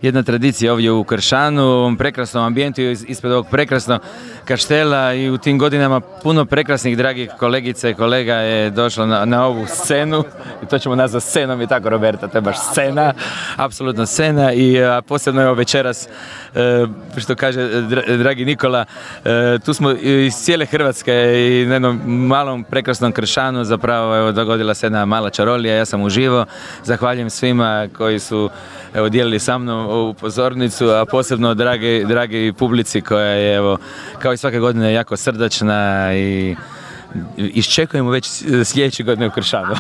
jedna tradicija ovdje u Kršanu, u ovom prekrasnom ambijentu ispred ovog prekrasnog kaštela i u tim godinama puno prekrasnih dragih kolegica i kolega je došlo na ovu scenu i to ćemo nazvati scenom i tako, Roberta, to je baš scena, apsolutno scena i posebno je večeras, što kaže dragi Nikola, tu smo iz cijele Hrvatske i na jednom malom prekrasnom Kršanu zapravo dogodila se jedna mala čarolija, ja sam uživo, zahvaljujem svima koji su dijelili sa mnom ovu pozornicu, a posebno dragi publici koja je kao i svake godine jako srdačna i iščekujemo već sljedeće godine u Kršanu.